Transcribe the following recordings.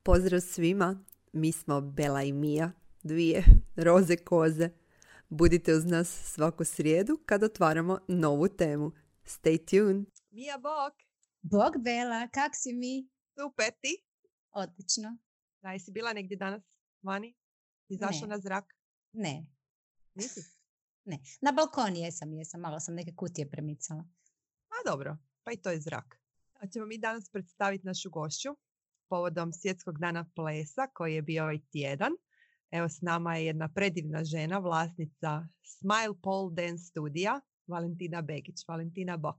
Pozdrav svima, mi smo Bela i Mija, dvije roze koze. Budite uz nas svaku srijedu kad otvaramo novu temu. Stay tuned! Mija, bok! Bog Bela, kak si mi? Super, ti? Odlično. Da, jesi bila negdje danas vani? Izašla na zrak? Ne. Nisi? Ne. Na balkon jesam. Malo sam neke kutije premicala. A dobro, pa i to je zrak. A ćemo mi danas predstaviti našu gošću povodom Svjetskog dana plesa koji je bio ovaj tjedan. Evo s nama je jedna predivna žena, vlasnica Smile Pole Dance studija, Valentina Begić. Valentina, bok.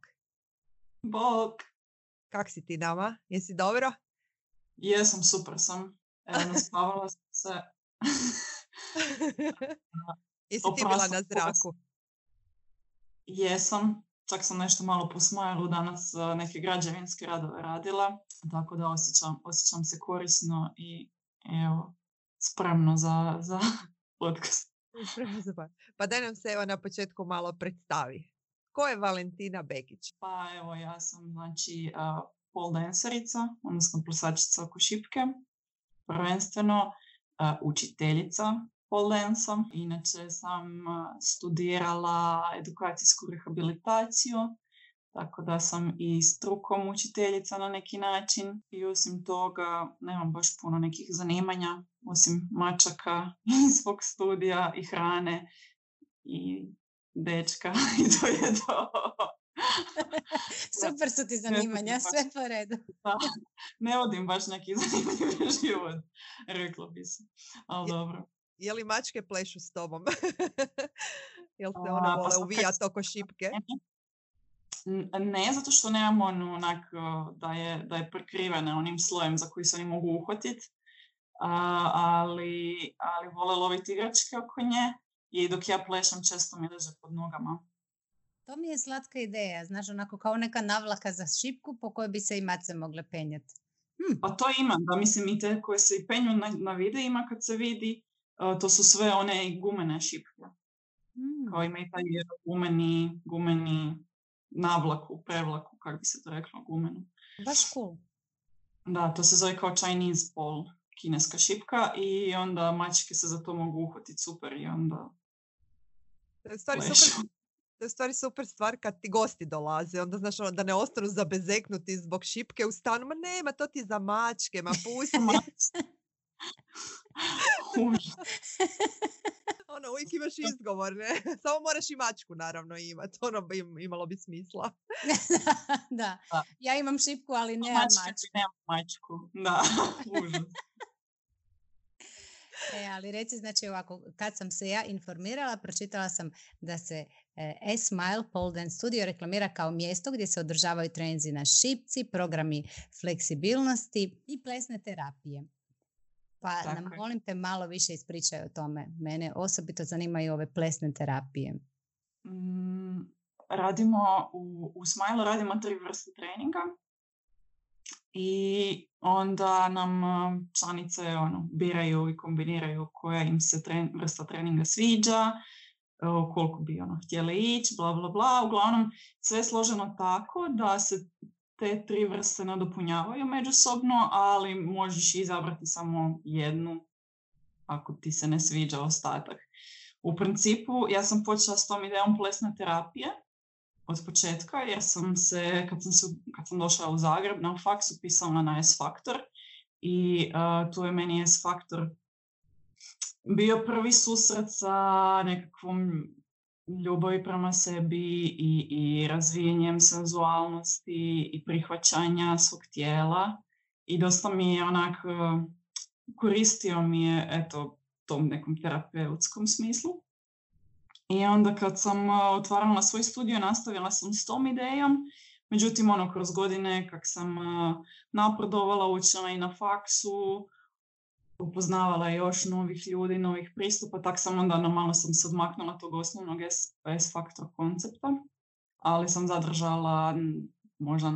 Bok. Kak si ti nama? Jesi dobro? Jesam, super sam. Evo, naspavala sam se. Jesi ti bila na zraku? Jesam. Čak sam nešto malo po Smilu danas neke građevinske radove radila. Tako da osjećam se korisno i evo, spremno za podcast. Pa daj nam se evo na početku malo predstavi. Ko je Valentina Begić? Pa evo, ja sam znači pole dancerica, odnosno plesačica oko šipke. Prvenstveno učiteljica pole dansa. Inače sam studirala edukacijsku rehabilitaciju, tako da sam i strukom učiteljica na neki način. I osim toga nemam baš puno nekih zanimanja, osim mačaka i svog studija i hrane i dečka i to je to. Super su ti zanimanja, sve po redu. Da, ne vodim baš neki zanimljiv život, reklo bi se, ali dobro. Je li mačke plešu s tobom? Jel se one vole uvijati oko šipke? Ne, zato što nemam onak da je prekrivena onim slojem za koji se oni mogu uhvatiti, ali vole loviti igračke oko nje i dok ja plešem često mi leže pod nogama. To mi je slatka ideja, znaš, onako kao neka navlaka za šipku po kojoj bi se i mace mogle penjati. Pa to ima, da, mislim i te koje se i penju na videima kad se vidi, to su sve one gumene šipke. Kao ima i taj gumeni navlaku, prevlaku, kako bi se to reklo, gumenu. Baš cool. Da, to se zove kao Chinese pole, kineska šipka i onda mačke se za to mogu uhvatiti super i onda To je stvari super stvar kad ti gosti dolaze, onda znaš da ne ostanu zabezeknuti zbog šipke u stanu, ma nema, to ti za mačke, ma pusti. Uvijek imaš izgovor, ne? Samo moraš i mačku naravno imati, imalo bi smisla. Da, ja imam šipku, ali nemam mačku. Nemam mačku, da, užas. Ali reci, znači ovako, kad sam se ja informirala, pročitala sam da se Smile Pole Dance Studio reklamira kao mjesto gdje se održavaju treninzi na šipci, programi fleksibilnosti i plesne terapije. Pa tako nam, molim te, malo više ispričaj o tome. Mene osobito zanimaju ove plesne terapije. Radimo u Smile radimo 3 vrste treninga. I onda nam članice biraju i kombiniraju koja im se vrsta treninga sviđa, koliko bi htjele ići, bla bla bla. Uglavnom sve je složeno tako da se te 3 vrste nadopunjavaju međusobno, ali možeš izabrati samo jednu ako ti se ne sviđa ostatak. U principu ja sam počela s tom idejom plesne terapije od početka, jer sam se, kad sam došla u Zagreb na faks, upisala na S-Faktor i tu je meni S-Faktor bio prvi susret sa nekakvom ljubavi prema sebi i razvijenjem senzualnosti i prihvaćanja svog tijela i dosta mi je onak koristio mi je eto tom nekom terapeutskom smislu. I onda kad sam otvarala svoj studio, nastavila sam s tom idejom. Međutim, kroz godine kak sam napredovala, učila i na faksu, upoznavala još novih ljudi, novih pristupa, tak sam onda malo sam se odmaknula tog osnovnog S-Faktor koncepta, ali sam zadržala možda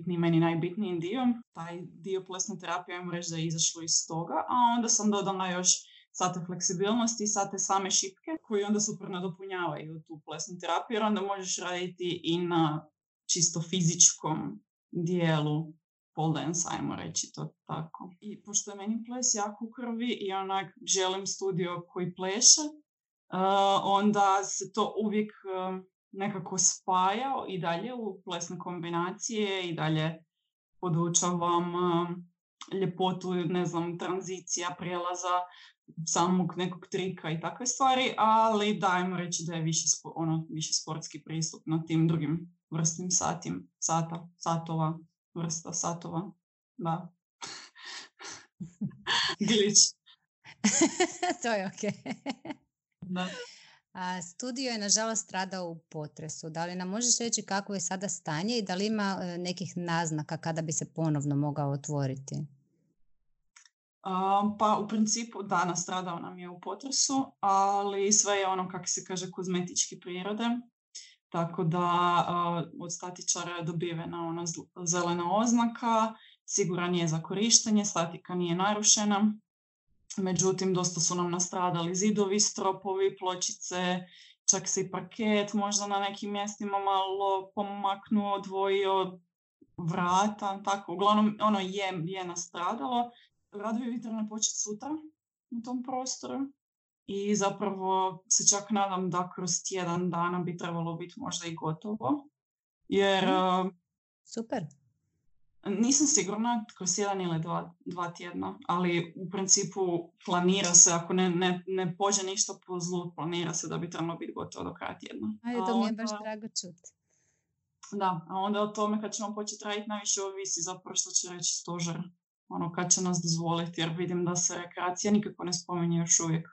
meni najbitniji dio. Taj dio plesne terapije, ajmo reći da je izašlo iz toga, a onda sam dodala još sate fleksibilnosti i sate same šipke, koji onda super nadopunjavaju tu plesnu terapiju, jer onda možeš raditi i na čisto fizičkom dijelu pole dance, ajmo reći to tako. I pošto je meni ples jako u krvi i onak želim studio koji pleše, onda se to uvijek nekako spaja i dalje u plesne kombinacije i dalje podučavam ljepotu, ne znam, tranzicija, prijelaza, samog nekog trika i takve stvari, ali dajmo reći da je više sportski pristup na tim drugim vrstnim vrsta satova, da. Glitch. To je okej. Da. Studio je nažalost stradao u potresu. Da li nam možeš reći kako je sada stanje i da li ima nekih naznaka kada bi se ponovno mogao otvoriti? Pa u principu da, nastradao nam je u potresu, ali sve je ono, kako se kaže, kozmetičke prirode. Tako da od statičara je dobivena ona zelena oznaka, siguran je za korištenje, statika nije narušena. Međutim, dosta su nam nastradali zidovi, stropovi, pločice, čak se i parket možda na nekim mjestima malo pomaknuo, odvojio, vrata, tako. Uglavnom, ono je nastradalo. Radovi bi trebali početi sutra u tom prostoru i zapravo se čak nadam da kroz tjedan dana bi trebalo biti možda i gotovo. Jer... Super. Nisam sigurna kroz jedan ili dva tjedna, ali u principu planira se, ako ne pođe ništa po zlu, planira se da bi trebalo biti gotovo do kraja tjedna. Ajde, to mi je baš drago čuti. Da, a onda o tome kad ćemo početi raditi najviše ovisi zapravo što će reći stožer. Ono, kad će nas dozvoliti, jer vidim da se rekreacija nikako ne spominje još uvijek.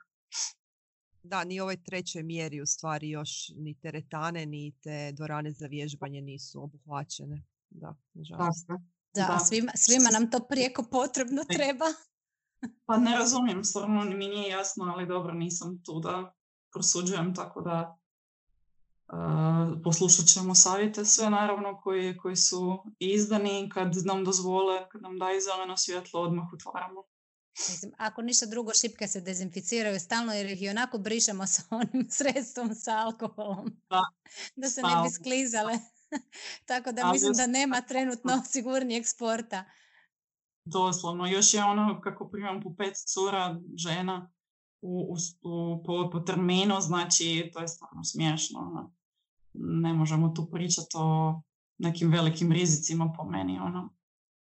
Da, ni ovoj trećoj mjeri u stvari još ni teretane, ni te dvorane za vježbanje nisu obuhvaćene. Da, nažalost. Da, svima nam to prijeko potrebno treba. Pa ne razumijem, stvarno mi nije jasno, ali dobro, nisam tu da prosuđujem, tako da poslušat ćemo savjete sve naravno koji su izdani. Kad nam dozvole, kad nam daju zeleno svjetlo, odmah otvaramo. Mislim, ako ništa drugo, šipke se dezinficiraju stalno jer ih i onako brišemo sa onim sredstvom, sa alkoholom. Da se ne bi sklizale. Tako da mislim da nema trenutno sigurnijeg sporta. Doslovno. Još je ono kako primam po 5 cura žena po terminu, znači to je stvarno smiješno. Ne možemo tu pričati o nekim velikim rizicima po meni,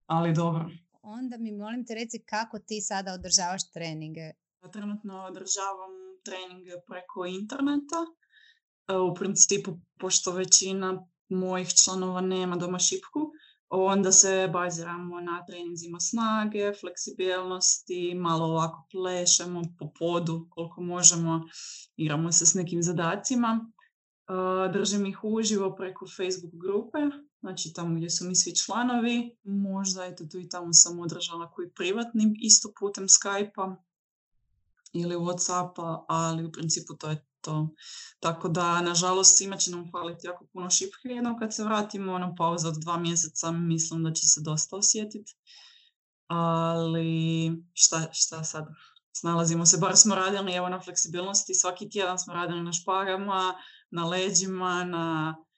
ali dobro. Onda mi molim te reci kako ti sada održavaš treninge? Trenutno održavam treninge preko interneta. U principu, pošto većina mojih članova nema doma šipku, onda se baziramo na treninzima snage, fleksibilnosti, malo ovako plešemo po podu koliko možemo, igramo se s nekim zadacima. Držim ih uživo preko Facebook grupe, znači tamo gdje su mi svi članovi. Možda eto tu i tamo sam održala koji privatni, isto putem Skype-a ili Whatsappa, ali u principu to je to. Tako da, nažalost, svima će nam faliti jako puno šipke. Jednom kad se vratimo na pauzu od 2 mjeseca, mislim da će se dosta osjetiti. Ali šta sad? Snalazimo se, bar smo radili evo na fleksibilnosti. Svaki tjedan smo radili na špagama, na leđima,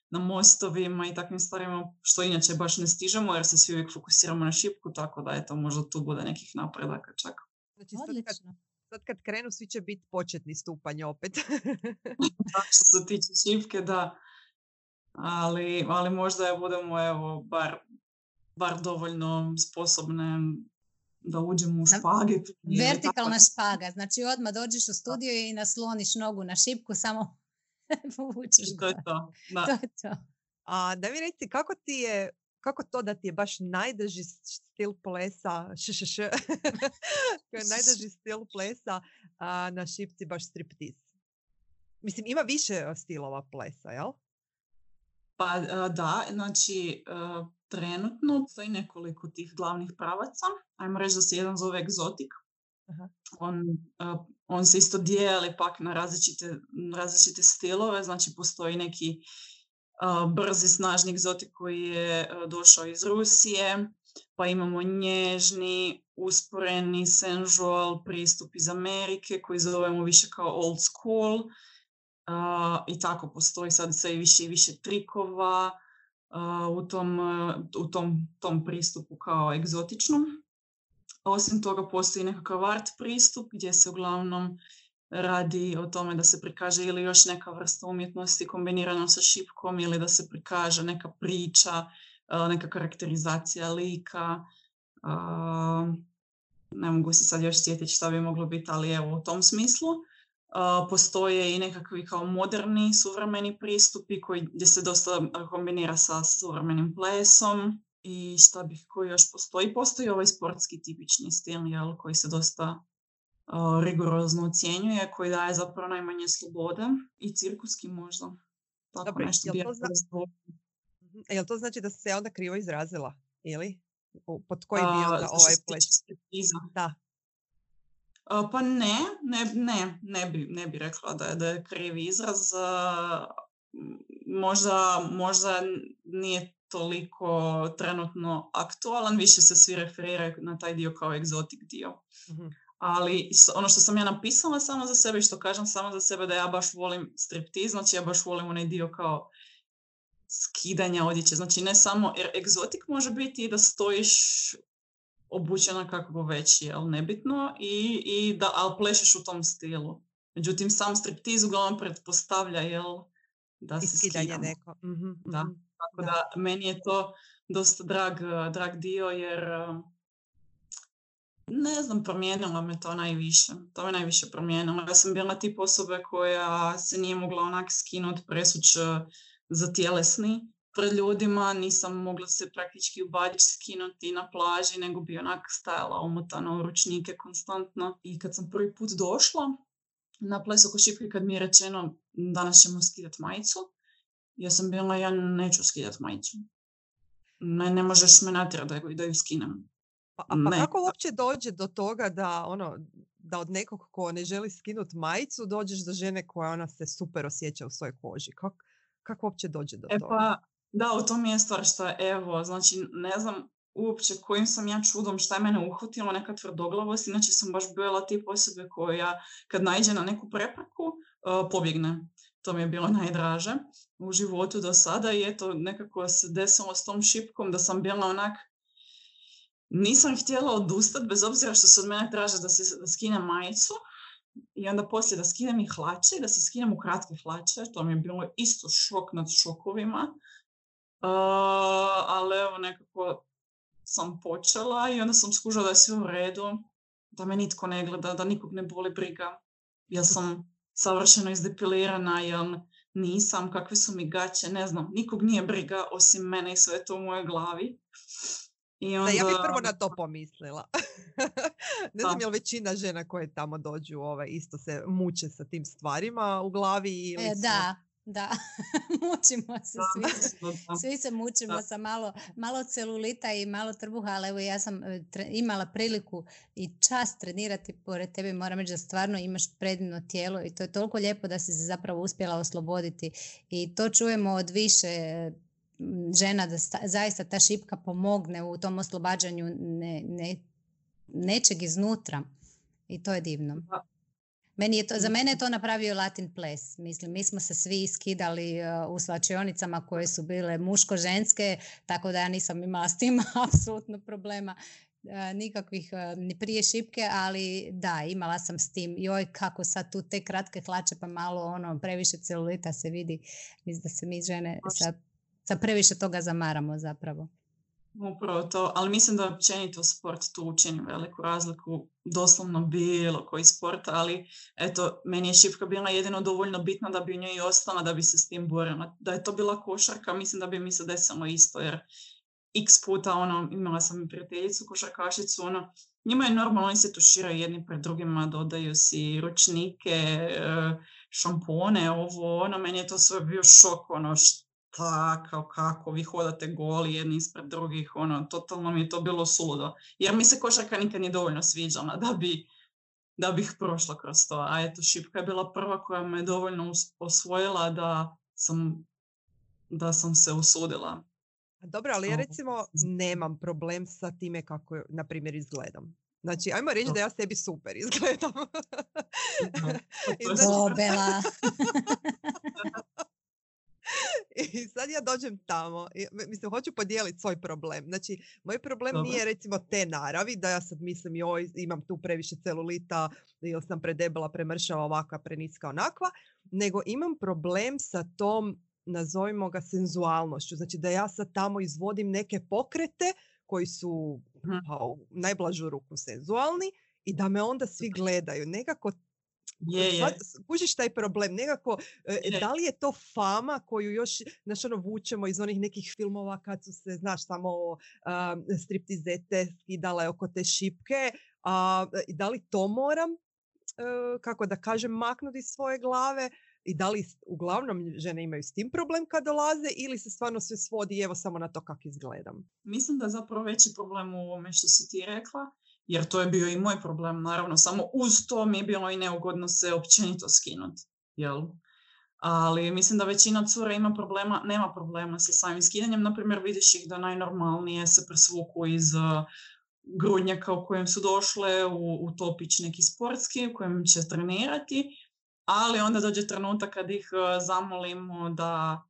na mostovima i takvim stvarima, što inače baš ne stižemo jer se svi uvijek fokusiramo na šipku, tako da eto, možda tu bude nekih napredaka čak. Znači, sad kad krenu, svi će biti početni stupanj opet. Što se tiče šipke, da. Ali možda je budemo evo, bar dovoljno sposobne da uđemo u špage. Vertikalna špaga, znači odmah dođeš u studio i nasloniš nogu na šipku, samo povučeš. To je to. Da. To je to. A da mi reci, kako to da ti je baš najdrži stil plesa, koji je najdrži stil plesa na šipci baš striptiz? Mislim, ima više stilova plesa, jel? Pa da, znači trenutno stoji nekoliko tih glavnih pravaca. Ajmo reći da se jedan zove egzotik. Aha. On se isto dijeli pak na različite stilove, znači postoji neki brzi, snažni egzotik koji je došao iz Rusije, pa imamo nježni, usporeni, sensual pristup iz Amerike koji zovemo više kao old school i tako postoji sad sve više i više trikova, u tom pristupu kao egzotičnom. Osim toga postoji nekakav art pristup gdje se uglavnom radi o tome da se prikaže ili još neka vrsta umjetnosti kombinirana sa šipkom ili da se prikaže neka priča, neka karakterizacija lika. Ne mogu se sad još sjetiti šta bi moglo biti, ali evo u tom smislu. Postoje i nekakvi kao moderni, suvremeni pristupi gdje se dosta kombinira sa suvremenim plesom. I šta koji još postoji? Postoji ovaj sportski tipični stil, koji se dosta rigorozno ocjenjuje, koji daje zapravo najmanje slobode i cirkuski možda. Tako dobro, nešto jel to znači da se onda krivo izrazila? Ili? Pod koji bio onda ovaj ples? Da. Pa ne bi rekla da je krivi izraz. Možda nije toliko trenutno aktualan, više se svi referiraju na taj dio kao egzotik dio. Mm-hmm. Ali ono što sam ja napisala samo za sebe i što kažem samo za sebe da ja baš volim striptiz, znači ja baš volim onaj dio kao skidanja odjeće. Znači ne samo, jer egzotik može biti i da stojiš obučena kako već je, ali nebitno, ali plešeš u tom stilu. Međutim, sam striptiz uglavnom pretpostavlja da se skidamo. Neko. Mm-hmm. Da. Tako da meni je to dosta drag dio jer ne znam, promijenilo me to najviše. To me najviše promijenilo. Ja sam bila tip osobe koja se nije mogla onak skinuti, presuć za tjelesni pred ljudima. Nisam mogla se praktički u badjić skinuti na plaži, nego bi onak stajala omotana u ručnike konstantno. I kad sam prvi put došla na ples oko šipke, kad mi je rečeno danas ćemo skidati majicu, ja sam bila, ja neću skidati majicu. Ne možeš me natjerati da ju skinem. Pa kako uopće dođe do toga da od nekog ko ne želi skinuti majicu dođeš do žene koja ona se super osjeća u svojoj koži? Kako uopće dođe do toga? Pa, da, u tom je stvar što evo, znači ne znam uopće kojim sam ja čudom, šta je mene uhvatilo, neka tvrdoglavost, inače sam baš bila tip osobe koja kad naiđe na neku prepreku, pobjegne. To mi je bilo najdraže u životu do sada i eto nekako se desilo s tom šipkom da sam bila onak, nisam htjela odustati bez obzira što se od mene traže da skinem majicu i onda poslije da skinem i hlače i da se skinem u kratke hlače. To mi je bilo isto šok nad šokovima, ali evo nekako sam počela i onda sam skužila da je sve u redu, da me nitko ne gleda, da nikog ne boli briga. Ja sam savršeno izdepilirana, jel nisam, kakve su mi gaće, ne znam, nikog nije briga osim mene i sve to u mojoj glavi. I onda... Da, ja bih prvo na to pomislila. Ne znam je li većina žena koje tamo dođu isto se muče sa tim stvarima u glavi ili Da, mučimo se svi se mučimo sa malo celulita i malo trbuha, ali evo ja sam imala priliku i čast trenirati pored tebe, moram reći da stvarno imaš predivno tijelo i to je toliko lijepo da si se zapravo uspjela osloboditi i to čujemo od više žena da zaista ta šipka pomogne u tom oslobađanju nečeg iznutra i to je divno. Za mene je to napravio Latin ples. Mislim, mi smo se svi skidali u svlačionicama koje su bile muško-ženske, tako da ja nisam imala s tim apsolutno problema nikakvih ni prije šipke, ali da, imala sam s tim. Joj, kako sad tu te kratke hlače pa malo previše celulita se vidi. Mislim da se mi žene sa previše toga zamaramo zapravo. Upravo to, ali mislim da općenito sport tu učini veliku razliku, doslovno bilo koji sport, ali eto, meni je šipka bila jedino dovoljno bitna da bi u njoj i ostala, da bi se s tim borila. Da je to bila košarka, mislim da bi mi se desilo isto, jer x puta imala sam i prijateljicu košarkašicu, njima je normalno, oni se tuširaju jedni pred drugima, dodaju si ručnike, šampone, meni je to sve bio šok, kako vi hodate goli jedni ispred drugih, totalno mi je to bilo suludo. Jer mi se košarka nikad nije dovoljno sviđala da bih prošla kroz to. A eto, šipka je bila prva koja me dovoljno osvojila da sam se usudila. Dobro, ali ja recimo nemam problem sa time kako, na primjer, izgledam. Znači, ajmo reći da ja sebi super izgledam. Bela. I sad ja dođem tamo. Mislim, hoću podijeliti svoj problem. Znači, moj problem Dobro. nije recimo te naravi, da ja sad mislim joj, imam tu previše celulita ili sam predebela, premršava, ovakva, preniska, onakva, nego imam problem sa tom, nazovimo ga, senzualnošću. Znači da ja sad tamo izvodim neke pokrete koji su pa, u najblažu ruku senzualni i da me onda svi gledaju. Nekako kužiš taj problem, nekako, da li je to fama koju još, znaš, ono, vučemo iz onih nekih filmova kad su se, znaš, samo striptizete skidale oko te šipke, da li to moram, kako da kažem, maknuti iz svoje glave i da li uglavnom žene imaju s tim problem kad dolaze ili se stvarno sve svodi evo samo na to kako izgledam? Mislim da je zapravo veći problem u ovome što si ti rekla, jer to je bio i moj problem, naravno, samo uz to mi je bilo i neugodno se općenito skinuti, jel? Ali mislim da većina cura nema problema sa samim skidanjem. Naprimjer, vidiš ih da najnormalnije se presvuku iz grudnjaka u kojem su došle u topić neki sportski u kojem će trenirati, ali onda dođe trenutak kad ih zamolimo da,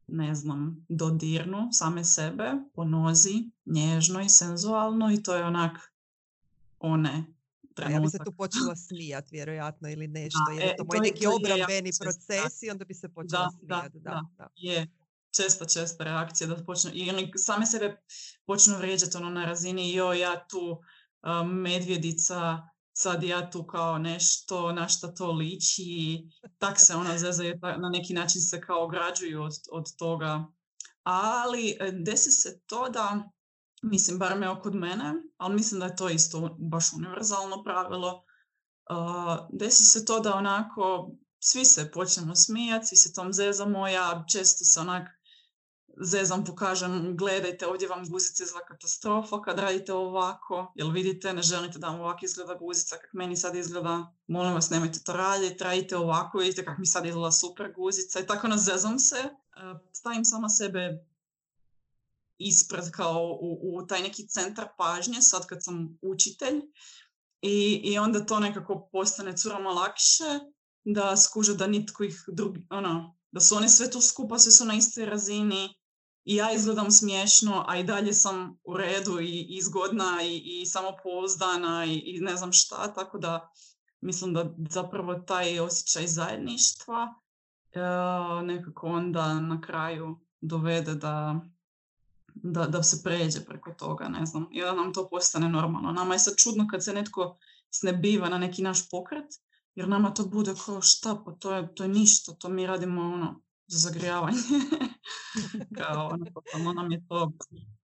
ne znam, dodirnu same sebe po nozi, nježno i senzualno, i to je onak trenutak. Ja bi se tu počela smijat, vjerojatno, ili nešto, jer je to moj neki obrambeni proces i onda bi se počela smijat. Da. Je. Česta reakcija da počnu, i oni same sebe počnu vrijeđati na razini ja tu medvjedica, sad ja tu kao nešto, na šta to liči, tak se zezaju, na neki način se kao ograđuju od toga. Ali desi se to da, mislim, bar me kod mene, ali mislim da je to isto baš univerzalno pravilo, desi se to da onako svi se počnemo smijati, svi se tom zezamo, ja često se onak zezam, pokažem, gledajte, ovdje vam guzica izgleda katastrofa kad radite ovako, jel vidite, ne želite da vam ovako izgleda guzica, kak meni sad izgleda, molim vas, nemojte to radite ovako, vidite kak mi sad izgleda super guzica, i tako zezam se, stavim sama sebe ispred kao u taj neki centar pažnje, sad kad sam učitelj, i onda to nekako postane curama lakše, da skuže da nitko ih drugi, da su oni sve tu skupa, sve su na istoj razini i ja izgledam smiješno, a i dalje sam u redu i zgodna i samopouzdana i ne znam šta, tako da mislim da zapravo taj osjećaj zajedništva nekako onda na kraju dovede da se pređe preko toga, ne znam, i da nam to postane normalno. Nama je sad čudno kad se netko snebiva na neki naš pokret, jer nama to bude kao šta, pa to je ništa, to mi radimo za zagrijavanje. Kao totalno nam je to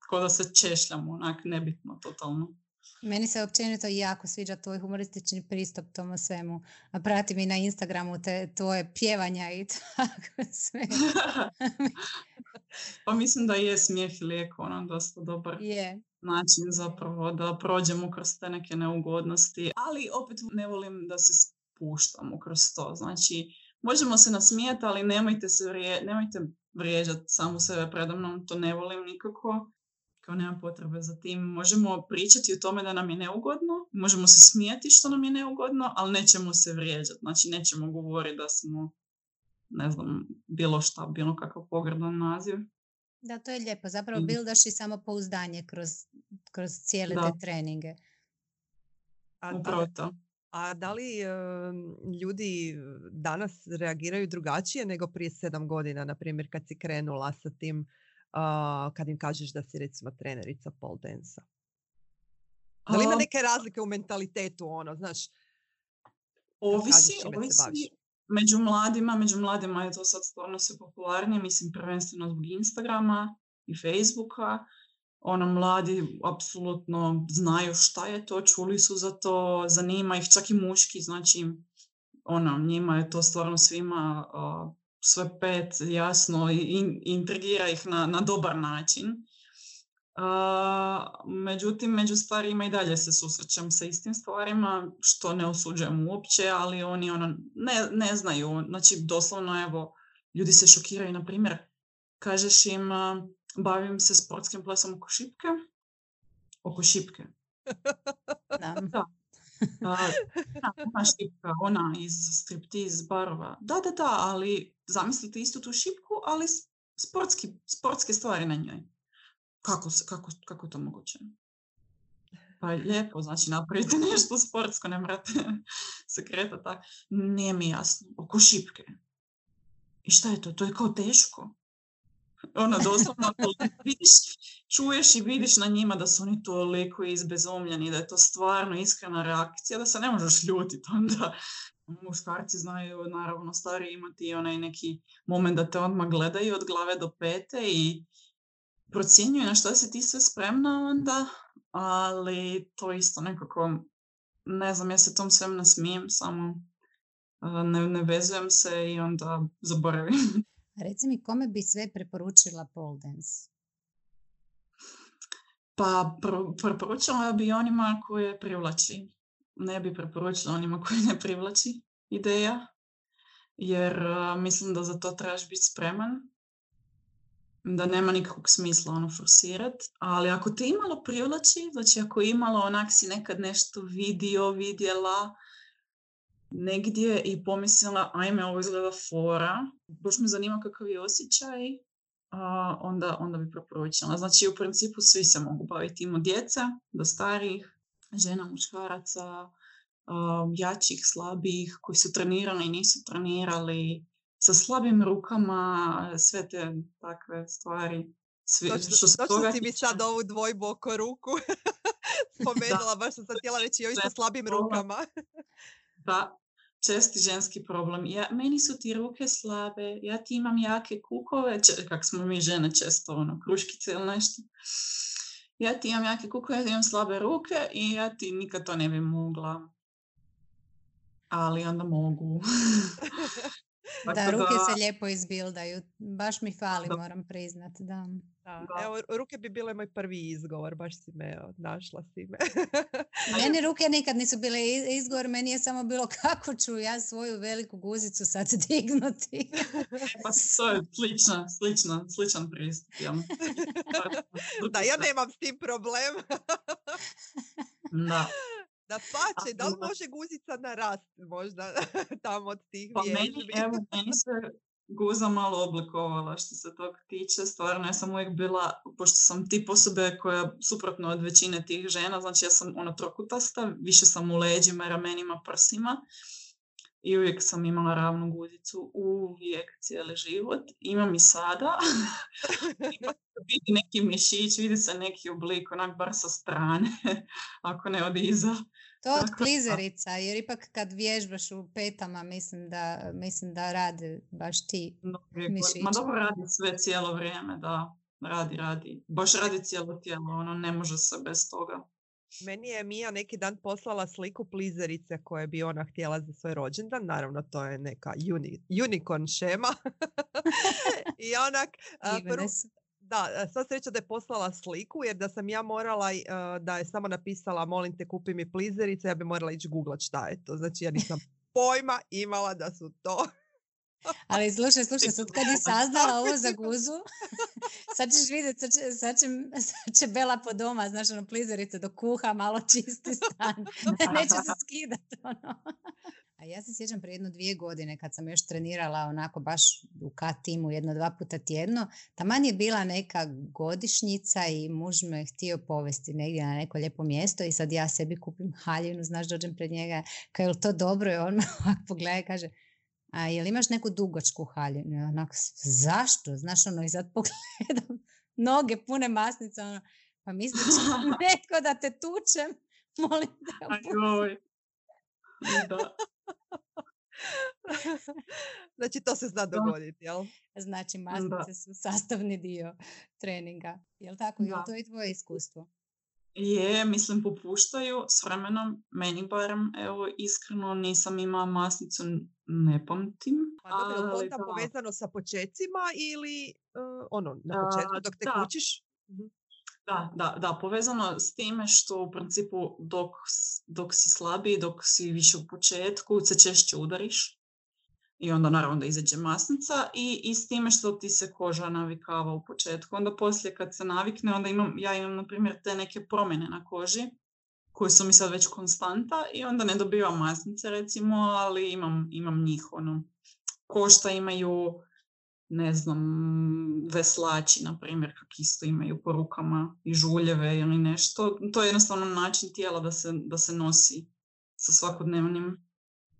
kao da se češljamo, onak nebitno, totalno. Meni se općenito jako sviđa tvoj humoristični pristup tomu svemu. A pratim i na Instagramu tvoje pjevanja i tako sve. Pa mislim da je smijeh i lijek, dosta dobar način zapravo da prođemo kroz te neke neugodnosti. Ali opet ne volim da se spuštamo kroz to. Znači, možemo se nasmijati, ali nemojte vrijeđati samu sebe predamnom, to ne volim nikako. Kao nema potrebe za tim. Možemo pričati o tome da nam je neugodno, možemo se smijati što nam je neugodno, ali nećemo se vrijeđati. Znači, nećemo govoriti da smo, ne znam, bilo kakav pogrdan naziv. Da, to je lijepo. Zapravo bildaš i samopouzdanje kroz cijele te treninge. Upravo to. A da li ljudi danas reagiraju drugačije nego prije 7 godina, na primjer, kad si krenula sa tim, kad im kažeš da si recimo trenerica pole dance-a? Da li ima neke razlike u mentalitetu, znaš? Ovisi. Među mladima je to sad stvarno sve popularnije, mislim prvenstveno zbog Instagrama i Facebooka. Mladi apsolutno znaju šta je to, čuli su za to, zanima ih, čak i muški, znači njima je to stvarno svima sve pet jasno i intrigira ih na dobar način. Međutim, među starijima i dalje se susrećem sa istim stvarima, što ne osuđujem uopće, ali oni ne znaju. Znači, doslovno, evo, ljudi se šokiraju, na primjer, kažeš im, bavim se sportskim plesom oko šipke. Oko šipke. Da. Ona šipka, ona iz striptiz barova. Da, ali zamislite istu tu šipku, ali sportske stvari na njoj. Kako to moguće? Pa lijepo, znači napravite nešto sportsko, ne morate se kretati tako. Nije mi jasno. Oko šipke. I šta je to? To je kao teško. Ono, doslovno, vidiš, čuješ i vidiš na njima da su oni toliko izbezumljeni, da je to stvarno iskrena reakcija, da se ne možeš ljutiti onda. Muškarci znaju, naravno, stari imati onaj neki moment da te odmah gledaju od glave do pete i procjenjuju na što si ti sve spremna onda, ali to isto nekako, ne znam, ja se tom svem nasmijem, samo ne vezujem se i onda zaboravim. Reci mi, kome bi sve preporučila pole dance? Pa preporučila bi onima koje privlači. Ne bi preporučila onima koji ne privlači ideja, jer mislim da za to trebaš biti spreman, da nema nikakvog smisla ono forsirati, ali ako te imalo privlači, znači ako imalo onak si nekad nešto vidjela negdje i pomislila, ajme, ovo izgleda fora, baš me zanima kakav je osjećaj, onda bi preporučila. Znači, u principu svi se mogu baviti, ima djeca, do starih, žena, muškaraca, jačih, slabih, koji su trenirali i nisu trenirali, sa slabim rukama, sve te takve stvari. Točno si mi sad ovu dvojbu oko ruku spomenula, baš sam sad htjela reći ovi sa slabim rukama. Da, česti ženski problem. Meni su ti ruke slabe, ja ti imam jake kukove, kak smo mi žene često, ono, kruškice ili nešto. Ja ti imam jake kukove, ja ti imam slabe ruke i ja ti nikad to ne bi mogla. Ali onda mogu. Da, ruke se lijepo izbildaju. Baš mi fali, moram priznat. Da. Evo, ruke bi bile moj prvi izgovor, baš si me našla si me. Meni ruke nikad nisu bile izgovor, meni je samo bilo kako ću ja svoju veliku guzicu sad dignuti. Pa to je sličan pristup. Da, ja nemam s tim problem. Da. Da pače, da li može guzica narasti možda tamo od tih vježbi? Meni se guza malo oblikovala što se tog tiče. Stvarno, ja sam uvijek bila, pošto sam tip osobe koja suprotno od većine tih žena, znači ja sam trokutasta, više sam u leđima, ramenima, prsima i uvijek sam imala ravnu guzicu, uvijek, cijeli život. Imam i sada. Vidi neki mišić, vidi se neki oblik, onak bar sa strane, ako ne od iza. To od klizerica, jer ipak kad vježbaš u petama, mislim da rade baš ti mišići. Ma dobro, radi sve cijelo vrijeme, da. Radi. Baš radi cijelo tijelo, ono ne može se bez toga. Meni je Mija neki dan poslala sliku plizerice koje bi ona htjela za svoj rođendan. Naravno, to je neka unicorn šema. I onak... Da, sva sreća da je poslala sliku, jer da sam ja morala, da je samo napisala molim te kupi mi plizerice, ja bi morala ići googlat šta je to. Znači ja nisam pojma imala da su to. Ali slušaj, sad kad je saznala ovo za guzu, sad ćeš vidjeti, sad će Bela po doma, znaš, ono, plizerice do kuha, malo čisti stan. Neće se skidati, ono. A ja se sjećam prije 1-2 godine kad sam još trenirala onako baš u K-timu 1-2 puta tjedno. Taman je bila neka godišnjica i muž me htio povesti negdje na neko lijepo mjesto i sad ja sebi kupim haljinu, znaš, dođem pred njega, kao je li to dobro? I on me ovako pogleda i kaže, a jel imaš neku dugačku haljinu? I onako, zašto? Znaš, ono, i sad pogledam noge pune masnica, ono, pa mislim netko da te tučem, molim te. Da. Znači to se zna dogoditi, jel? Znači masnice su sastavni dio treninga. Jel tako? Jel to i tvoje iskustvo? Je, mislim popuštaju s vremenom, meni barem, evo iskreno nisam imala masnicu, ne pamtim. Pa dobro, je to onda povezano sa počecima ili na početku dok te kućiš? Da, povezano s time što u principu dok si slabiji, dok si više u početku, se češće udariš i onda naravno da izađe masnica i s time što ti se koža navikava u početku. Onda poslije kad se navikne, onda ja imam na primjer te neke promjene na koži koje su mi sad već konstanta i onda ne dobivam masnice recimo, ali imam njih. Košta imaju ne znam, veslači, na primjer, kak isto imaju po rukama i žuljeve ili nešto. To je jednostavno način tijela da se nosi sa svakodnevnim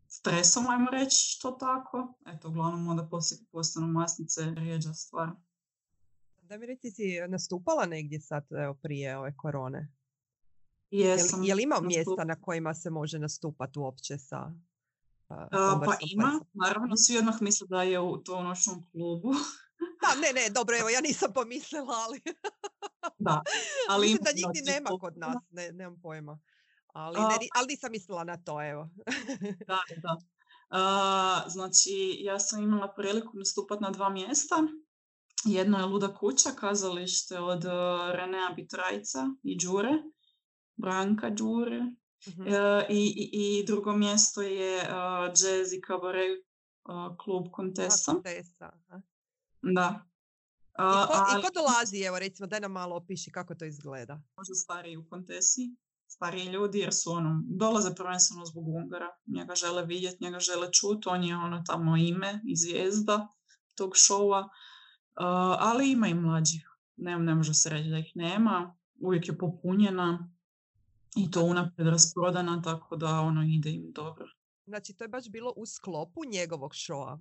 stresom, ajmo reći to tako. Eto, uglavnom onda poslije postanu masnice rijeđa stvar. Da mi reći, si nastupala negdje sad prije ove korone? Jesam. Je li ima mjesta na kojima se može nastupati uopće sa pa ima, naravno svi odmah misle da je to u noćnom klubu. Da, ne, dobro, evo, ja nisam pomislila, ali... Da, ali mislim da nigdje nema kod nas, nemam pojma. Ali nisam mislila na to, evo. Da. Znači, ja sam imala priliku nastupati na 2 mjesta. Jedno je Luda kuća, kazalište od Renea Bitrajca i Đure, Branka Đure. I drugo mjesto je jazz i kabaret klub Contessa. Da. I ko dolazi, evo recimo, daj nam malo opiši kako to izgleda. Možda stariji u Contessi, stariji ljudi, jer su dolaze prvenstveno zbog Ungara. Njega žele vidjeti, njega žele čuti, on je tamo ime i zvijezda tog šova. Ali ima i mlađih. Ne može se reći da ih nema. Uvijek je popunjena. I to unaprijed rasprodana, tako da ide im dobro. Znači, to je baš bilo u sklopu njegovog šova?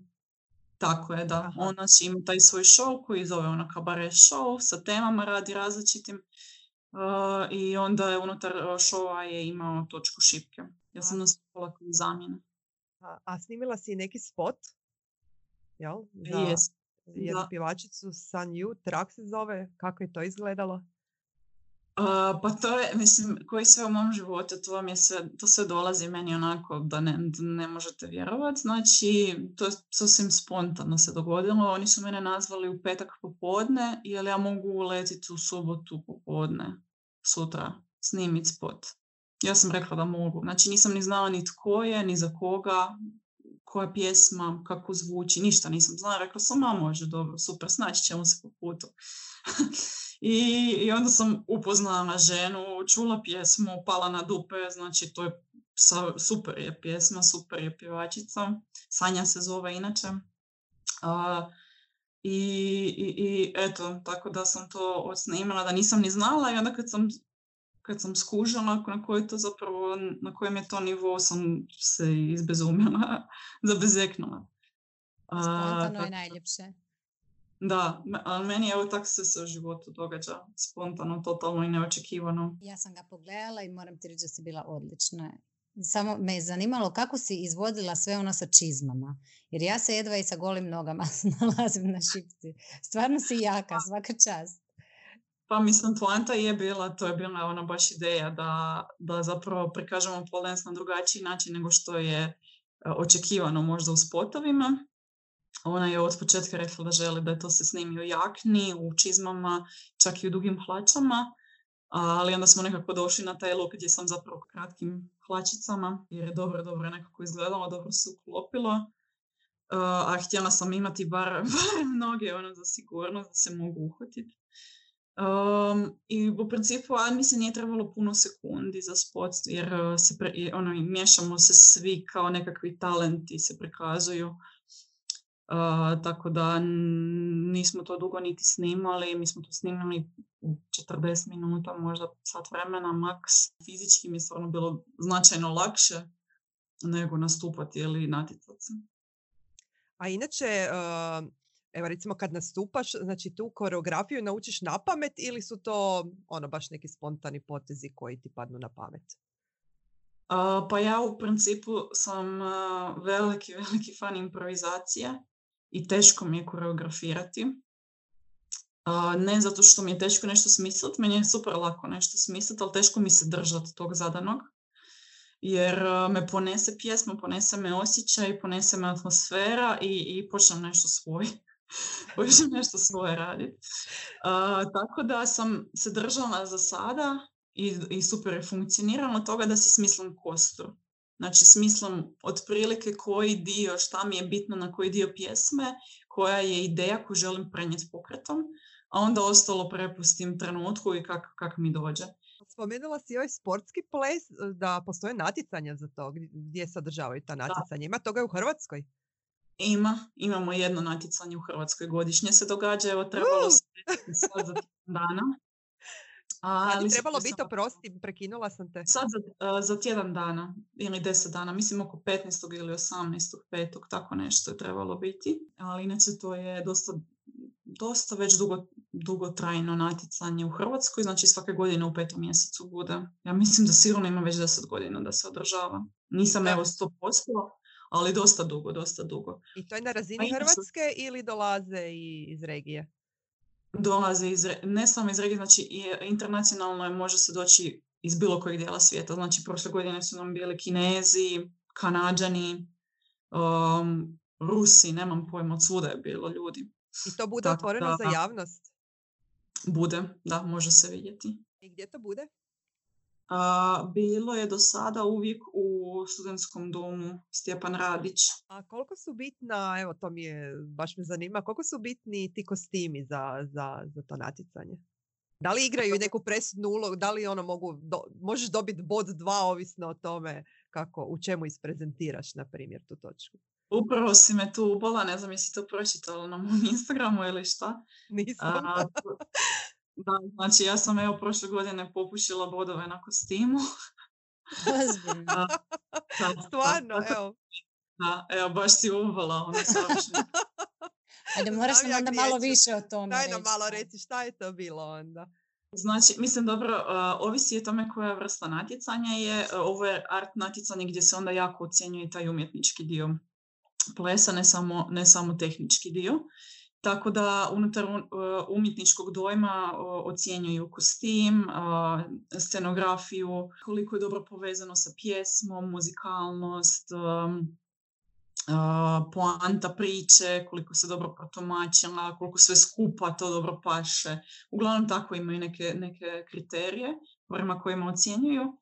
Tako je, da. On ima taj svoj show koji zove kabaret show, sa temama radi različitim. I onda je unutar šova je imao točku šipke. Ja sam nastupala kao zamjena. A snimila si neki spot? Jel? Za jednu pjevačicu Sun You, Trak se zove. Kako je to izgledalo? Pa to je, mislim, koji sve u mom životu, to sve dolazi meni onako da ne možete vjerovati. Znači, to je sasvim spontano se dogodilo. Oni su mene nazvali u petak popodne, jer ja mogu uletiti u subotu popodne, sutra, snimiti spot. Ja sam rekla da mogu. Znači, nisam ni znala ni tko je, ni za koga, koja pjesma, kako zvuči, ništa nisam znala. Rekla sam, može, dobro, super, snaći ćemo se po putu. I onda sam upoznala ženu, čula pjesmu, pala na dupe, znači to je super je pjesma, super je pjevačica, Sanja se zove inače. I eto, tako da sam to odsnimala, da nisam ni znala i onda kad sam skužila na kojem je to nivou, sam se izbezumila, zabezeknula. Spontano je najljepše. Da, ali meni evo tako se u životu događa, spontano, totalno i neočekivano. Ja sam ga pogledala i moram ti reći da si bila odlična. Samo me je zanimalo kako si izvodila sve sa čizmama. Jer ja se jedva i sa golim nogama nalazim na šipci. Stvarno si jaka, svaka čast. Pa mislim, poanta je bila baš ideja da zapravo prikažemo pole dance na drugačiji način nego što je očekivano možda u spotovima. Ona je od početka rekla da želi da to se snimi u jakni, u čizmama, čak i u dugim hlačama, ali onda smo nekako došli na taj look gdje sam zapravo u kratkim hlačicama, jer je dobro nekako izgledalo, dobro se uklopilo, a htjela sam imati bar noge za sigurnost da se mogu uhvatiti. I u principu mi se nije trebalo puno sekundi za spot, jer miješamo se svi kao nekakvi talenti se prikazuju. Tako da nismo to dugo niti snimali, mi smo to snimali u 40 minuta, možda sat vremena maks. Fizički mi je stvarno bilo značajno lakše nego nastupati ili natjecati se. A inače, evo recimo kad nastupaš, znači tu koreografiju naučiš na pamet ili su to baš neki spontani potezi koji ti padnu na pamet? Pa ja u principu sam veliki fan improvizacije. I teško mi je koreografirati. Ne zato što mi je teško nešto smisliti, meni je super lako nešto smisliti, ali teško mi se držati tog zadanog. Jer me ponese pjesma, ponese me osjećaj, ponese me atmosfera i počnem nešto svoje raditi. Tako da sam se držala za sada i super je funkcioniralo od toga da si smislim kostur. Znači, smislim otprilike koji dio, šta mi je bitno na koji dio pjesme, koja je ideja koju želim prenijeti pokretom, a onda ostalo prepustim trenutku i kak mi dođe. Spomenula si ovaj sportski ples, da postoje natjecanja za to, gdje sadržavaju ta natjecanja. Ima toga u Hrvatskoj? Imamo jedno natjecanje u Hrvatskoj godišnje se događa, evo trebalo se sad za tjedan dana. Kad je trebalo biti, oprosti, prekinula sam te. Sad za tjedan dana ili 10 dana, mislim oko 15. ili 18.5. tako nešto je trebalo biti, ali inače to je dosta već dugotrajno natjecanje u Hrvatskoj, znači svake godine u 5. mjesecu bude. Ja mislim da sigurno ima već 10 godina da se održava. Nisam evo 100%, ali dosta dugo. I to je na razini Hrvatske ili dolaze iz regije? Dolaze ne samo iz regije, znači internacionalno je, može se doći iz bilo kojeg dijela svijeta. Znači prošle godine su nam bili Kinezi, Kanađani, Rusi, nemam pojma, od svuda je bilo ljudi. I to bude otvoreno za javnost? Bude, da, može se vidjeti. I gdje to bude? Bilo je do sada uvijek u Studentskom domu Stjepan Radić. A koliko su bitna, evo to baš me zanima, koliko su bitni ti kostimi za to natjecanje? Da li igraju neku presudnu ulogu, da li možeš dobiti bod 2 ovisno o tome u čemu isprezentiraš, na primjer, tu točku? Upravo si me tu ubala, ne znam jesi to pročitala na mom Instagramu ili šta. Nisam. Da, znači ja sam prošle godine popušila bodove na kostimu. Stvarno, evo. Da, evo, baš si uvala. Ajde, moraš nam onda malo više o tome reći. Daj nam malo reći šta je to bilo onda. Znači, mislim, dobro, ovisi o tome koja vrsta natjecanja je. Ovo je art natjecanje gdje se onda jako ocjenjuje taj umjetnički dio plesa, ne samo tehnički dio. Tako da unutar umjetničkog dojma ocjenjuju kostim, scenografiju, koliko je dobro povezano sa pjesmom, muzikalnost, poanta priče, koliko se dobro protumačila, koliko sve skupa to dobro paše. Uglavnom tako imaju neke kriterije prema kojima ocjenjuju.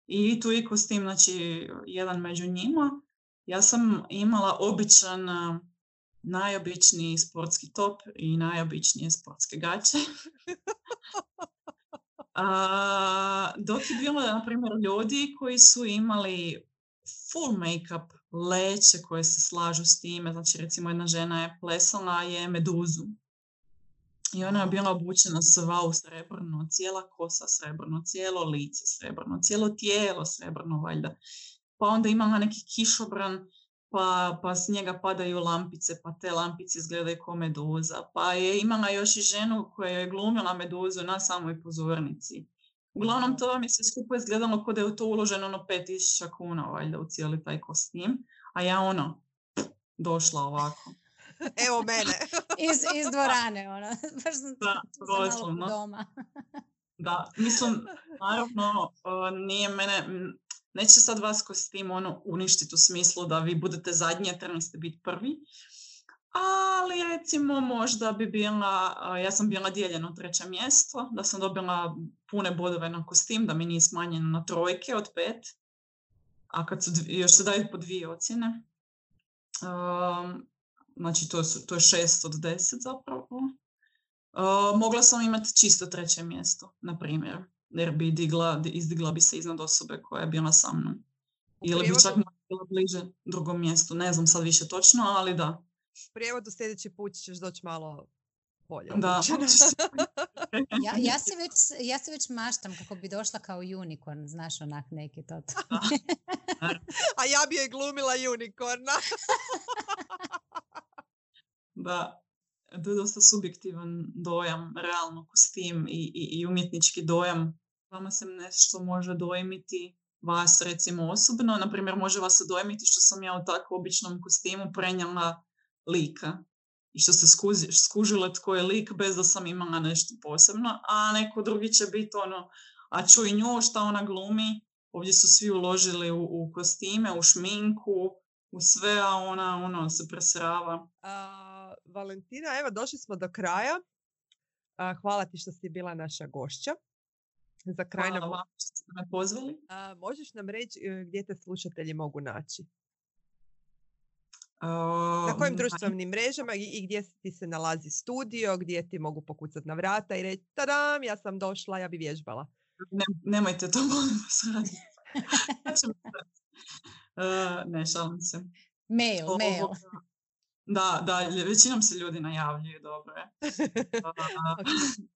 I tu je kostim, znači, jedan među njima. Ja sam imala najobičniji sportski top i najobičnije sportske gaće. Dok je bilo, na primjer, ljudi koji su imali full make-up, leće koje se slažu s time. Znači, recimo, jedna žena je plesala meduzu. I ona je bila obučena sva u srebrno, cijela kosa srebrno, cijelo lice srebrno, cijelo tijelo srebrno, valjda. Pa onda imala neki kišobran, pa s njega padaju lampice, pa te lampice izgledaju kao meduza. Pa je imala još i ženu koja je glumila meduzu na samoj pozornici. Uglavnom, to mi se skupo izgledalo kao da je to uloženo 5.000 kuna, valjda, u cijeli taj kostim. A ja došla ovako. Evo mene. iz dvorane, baš sam malo doma. Da, mislim, naravno, nije mene... Neće sad vas kostim uništiti u smislu da vi budete zadnji, a trebali ste biti prvi. Ali recimo možda bi ja sam bila dijeljena 3. mjesto, da sam dobila pune bodove na kostim, da mi nije smanjeno na 3 od 5. A kad još se daju po 2 ocjene, znači to je 6 od 10 zapravo. Mogla sam imati čisto 3. mjesto, na primjer. Jer bi izdigla bi se iznad osobe koja je bila sa mnom. Ili bi čak bila bliže 2. mjestu. Ne znam sad više točno, ali da. U prijevodu sljedeći put ćeš doći malo bolje. Da. Ja se već maštam kako bi došla kao unicorn, znaš, onak neki to. A ja bi je glumila unicorna. Da. To je dosta subjektivan dojam, realno kostim i umjetnički dojam. Vama se nešto može dojmiti, vas recimo osobno. Naprimjer, može vas se dojmiti što sam ja u tako običnom kostimu prenijela lika. I što ste skužile tko je lik bez da sam imala nešto posebno. A neko drugi će biti a čuj nju šta ona glumi. Ovdje su svi uložili u kostime, u šminku, u sve, a ona se presrava. Valentina, evo došli smo do kraja. Hvala ti što si bila naša gošća. Za kraj hvala vam što ste me pozvali. Možeš nam reći gdje te slušatelji mogu naći? Na kojim društvenim mrežama i gdje ti se nalazi studio, gdje ti mogu pokucati na vrata i reći tadam, ja sam došla, ja bi vježbala. Nemojte to, molim vas raditi. Ne, šalim se. Mail. Da, većinom se ljudi najavljuju, dobro je. Okay.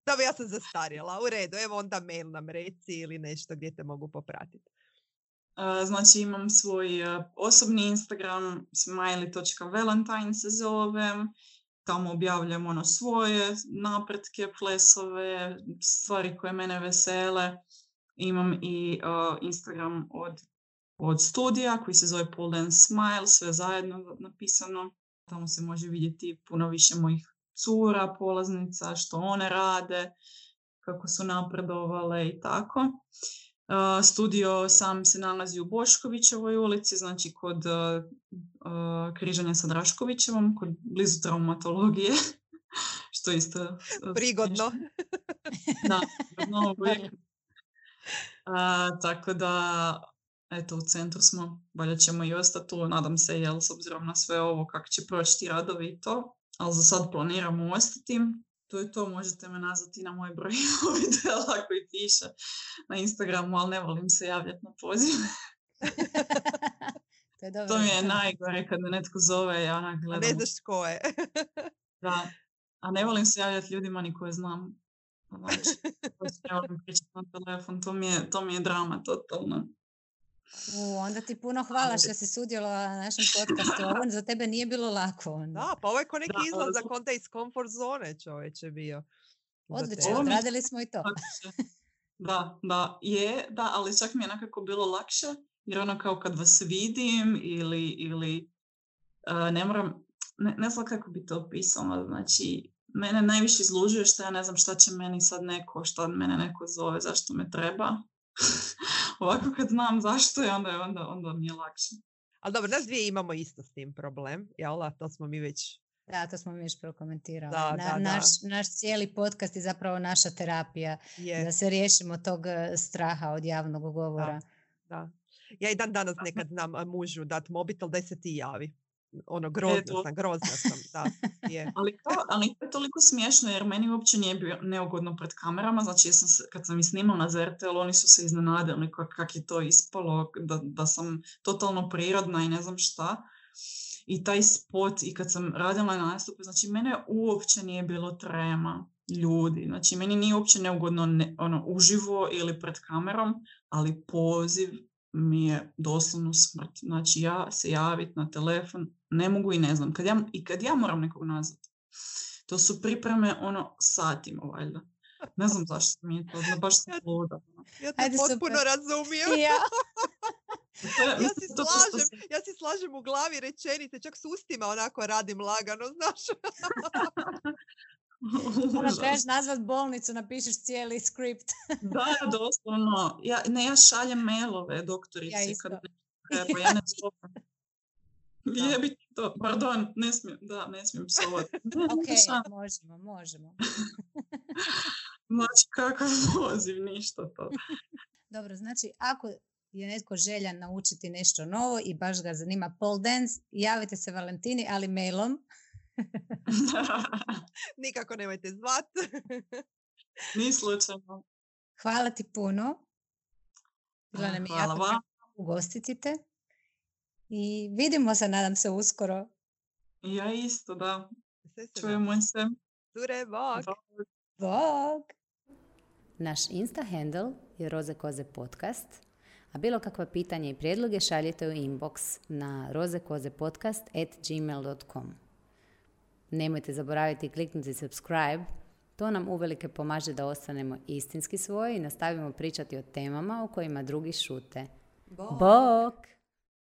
Dobro, ja sam zastarjela. U redu, evo onda mail nam reci ili nešto gdje te mogu popratiti. Znači imam svoj osobni Instagram, smiley.valentine se zove. Tamo objavljam svoje napretke, plesove, stvari koje mene vesele. Imam i Instagram od studija koji se zove Pole Dance Smile, sve zajedno napisano. Tamo se može vidjeti puno više mojih cura, polaznica, što one rade, kako su napredovale i tako. Studio sam se nalazi u Boškovićevoj ulici, znači kod križanja sa Draškovićevom, blizu traumatologije, što isto... Prigodno. Da, prigodno uvijek. Tako da, eto, u centru smo, valjda ćemo i ostati tu, nadam se, s obzirom na sve ovo, kako će proći ti radovi i to, ali za sad planiramo ostati. To je to, možete me nazvati na moj broj videa koji piše na Instagramu, ali ne volim se javljati na poziv. To mi je najgore kad me netko zove, ja onak gledam. A ne znaš ko je. Da, a ne volim se javljati ljudima ni koje znam. Znači, ne volim pričati na telefon, to mi je drama totalno. Onda ti puno hvala što si sudjelovala na našem podcastu. Ovo za tebe nije bilo lako. Da, pa ovo je ko neki izlazak onda iz comfort zone, čovječe, bio. Odlično, odradili smo i to. Da, ali čak mi je nekako bilo lakše, jer ono kao kad vas vidim ili ne moram, ne znam kako bi to opisala, znači mene najviše izlužuje što ja ne znam šta će meni sad šta mene neko zove, zašto me treba. Ovako kad znam zašto je, onda mi je lakše. Ali dobro, nas dvije imamo isto s tim problem, jel? To smo mi već... Da, to smo mi već prokomentirali. Naš cijeli podcast je zapravo naša terapija. Da se riješimo tog straha od javnog govora. Da. Ja i dan danas nekad znam mužu dati mobitel da se ti javi. Grozna sam. Da, je. Ali to je toliko smiješno jer meni uopće nije bio neugodno pred kamerama. Znači kad sam ih snimala na ZRTL, oni su se iznenadili kako je to ispalo, da sam totalno prirodna i ne znam šta. I taj spot, i kad sam radila nastupe, znači mene uopće nije bilo trema ljudi. Znači meni nije uopće neugodno uživo ili pred kamerom, ali poziv mi je doslovno smrt. Znači ja se javiti na telefon ne mogu i ne znam. Kad ja moram nekog nazvati, to su pripreme satima valjda. Ne znam zašto mi je to, baš sam luda. Ja te potpuno razumijem. Ja si slažem u glavi rečenice, čak s ustima onako radim lagano, znaš. Onda trebaš nazvat bolnicu, napišeš cijeli skript. Da, doslovno. Ja šaljem mailove doktorici. Ja isto. Kad treba, ja ne zovem. Jebi to, pardon, ne smijem psovati. Ok, možemo. Znači, kakav poziv, ništa to. Dobro, znači, ako je netko željan naučiti nešto novo i baš ga zanima pole dance, javite se Valentini, ali mailom. Nikako nemojte zvat. Ni slučajno. Hvala ti puno. Bila nam je jako vam. Ugostiti te. I vidimo se, nadam se, uskoro. Ja isto, da. Čujemo se. Sure, bok. Bok. Naš Insta handle je Roze Koze podcast, a bilo kakva pitanja i prijedloge šaljite u inbox na rozekozepodcast@gmail.com. Nemojte zaboraviti kliknuti subscribe, to nam uvelike pomaže da ostanemo istinski svoji i nastavimo pričati o temama o kojima drugi šute. Bok!